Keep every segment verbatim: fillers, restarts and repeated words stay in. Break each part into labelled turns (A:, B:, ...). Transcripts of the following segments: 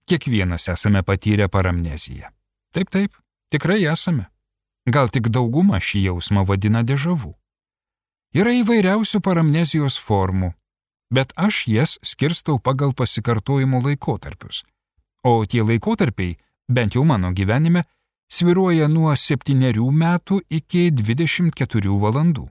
A: Kiekvienas esame patyrę paramneziją. Taip, taip, tikrai esame. Gal tik dauguma šį jausmą vadina dežavu. Yra įvairiausių paramnezijos formų, bet aš jas skirstau pagal pasikartojimo laikotarpius. O tie laikotarpiai, bent jau mano gyvenime, svyruoja nuo septynerių metų iki dvidešimt keturių valandų.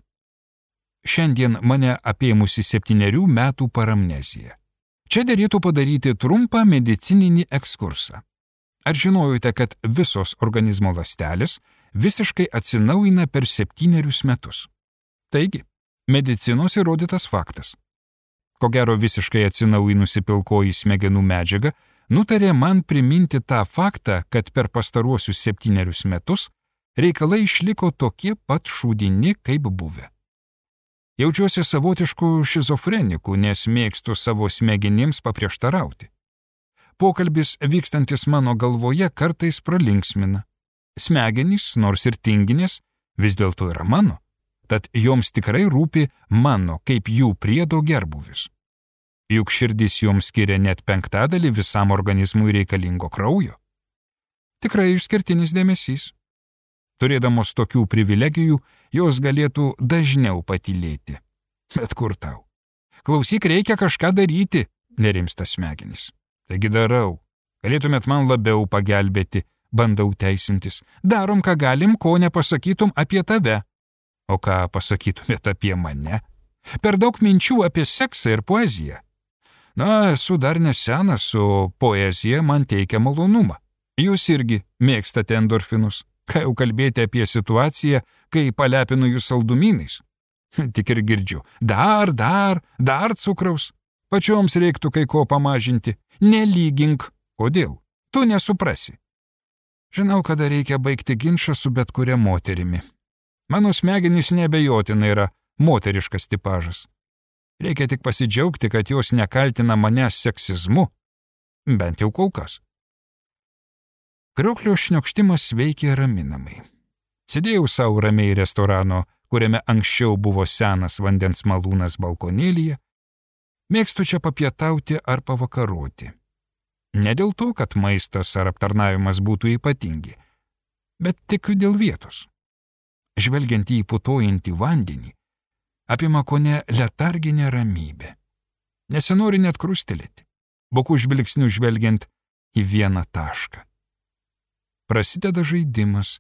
A: Šiandien mane apėmusi septynerių metų paramnezija. Čia derėtų padaryti trumpą medicininį ekskursą. Ar žinojote, kad visos organizmo ląstelės visiškai atsinaujina per septynerius metus? Taigi, medicinos įrodytas faktas. Ko gero visiškai atsinaujinusi pilkoji smegenų medžiaga nutarė man priminti tą faktą, kad per pastaruosius septynerius metus reikalai išliko tokie pat šūdini, kaip buvę. Jaučiuosi savotišku šizofreniku, nes mėgstu savo smegenims paprieštarauti. Pokalbis vykstantis mano galvoje kartais pralinksmina. Smegenys, nors ir tinginės, vis dėlto yra mano, tad joms tikrai rūpi mano kaip jų priedo gerbuvis. Juk širdis joms skiria net penktadalį visam organizmui reikalingo kraujo. Tikrai išskirtinis dėmesys. Turėdamos tokių privilegijų, jos galėtų dažniau patylėti. Bet kur tau? Klausyk, reikia kažką daryti, nerimsta smegenys. Taigi darau. Galėtumėt man labiau pagelbėti, bandau teisintis. Darom, ką galim, ko nepasakytum apie tave. O ką pasakytumėt apie mane? Per daug minčių apie seksą ir poeziją. Na, esu dar nesenas, o poezija man teikia malonumą. Jūs irgi mėgstate endorfinus. Ką jau kalbėti apie situaciją, kai palepinu jūs saldumynais? Tik ir girdžiu. Dar, dar, dar cukraus. Pačioms reiktų kai ko pamažinti. Nelygink. Kodėl? Tu nesuprasi. Žinau, kada reikia baigti ginčą su bet kuria moterimi. Mano smegenys neabejotinai yra moteriškas tipažas. Reikia tik pasidžiaugti, kad jos nekaltina manęs seksizmu. Bent jau kol kas. Krioklio šniokštimas veikė raminamai. Sėdėjau savo ramiai restorano, kuriame anksčiau buvo senas vandens malūnas balkonėlyje. Mėgstu čia papietauti ar pavakaroti. Ne dėl to, kad maistas ar aptarnavimas būtų ypatingi, bet tik dėl vietos. Žvelgiant į putojantį vandenį, apima kone letarginė ramybė. Nesinori net krustelėti, bokų žvilgsnių žvelgiant į vieną tašką. Prasideda žaidimas,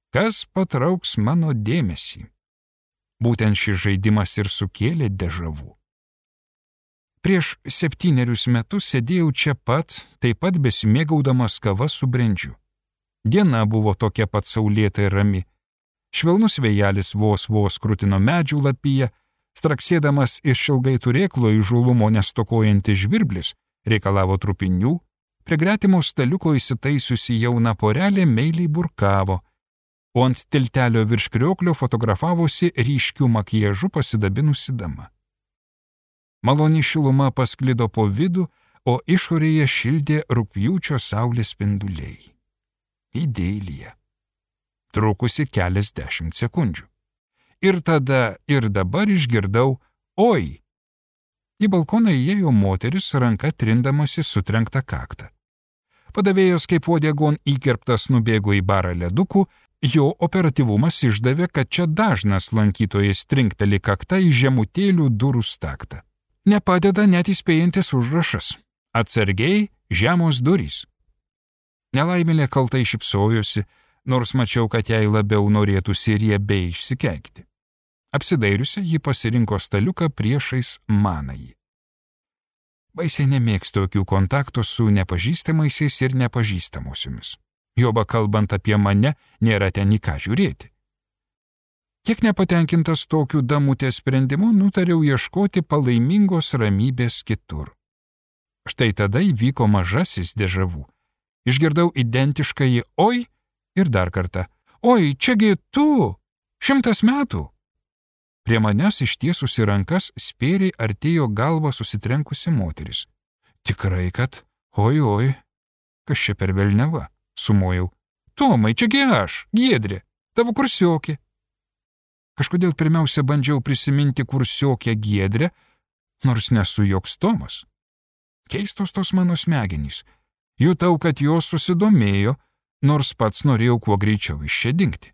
A: kas patrauks mano dėmesį. Būtent šis žaidimas ir sukėlė dežavų. Prieš septynerius metus sėdėjau čia pat, taip pat besimėgaudamas kava su brendžiu. Diena buvo tokia pat saulėta ir rami. Švelnus vėjelis vos vos krutino medžių lapiją, straksėdamas iš ilgai turėklo įžulumo nestokojantis žvirblis reikalavo trupinių. Prie gretimo staliuko įsitaisiusi jauna porelė meiliai burkavo, o ant tiltelio virš krioklio fotografavosi ryškių makiažų pasidabinusi dama. Maloni šiluma pasklido po vidų, o išorėje šildė rugpjūčio saulės spinduliai. Idėlija. Trukusi keliasdešimt sekundžių. Ir tada, ir dabar išgirdau oi. Į balkoną įėjo moteris, ranka trindamasi sutrenktą kaktą. Padavėjas kaip uodegon įkirptas nubėgo į barą ledukų, jo operatyvumas išdavė, kad čia dažnas lankytojas trinkteli kaktą į žemutėlių durų staktą. Nepadeda net įspėjantis užrašas. Atsargiai žemos durys. Nelaimėlė kaltai šypsojosi, nors mačiau, kad jai labiau norėtųsi riebiai išsikeikti. Apsidairiusi, ji pasirinko staliuką priešais manąjį. Baisiai nemėgstu tokių kontaktų su nepažįstamaisiais ir nepažįstamosiomis. Joba kalbant apie mane, nėra ten į ką žiūrėti. Kiek nepatenkintas tokiu damutės sprendimu, nutariau ieškoti palaimingos ramybės kitur. Štai tada įvyko mažasis dežavų. Išgirdau identiškai oi ir dar kartą. Oi, čiagi tu! Šimtas metų! Prie manęs ištiesusi rankas spėriai artėjo galvą susitrenkusi moteris. Tikrai, kad, oi, oi, kas čia per velniava, sumojau. Tomai, čiagi aš, Giedrė, tavo kursiokė. Kažkodėl pirmiausia bandžiau prisiminti kursiokę Giedrę, nors nesu joks Tomas. Keistos tos mano smegenys. Jutau, kad jos susidomėjo, nors pats norėjau kuo greičiau iš čia dingti.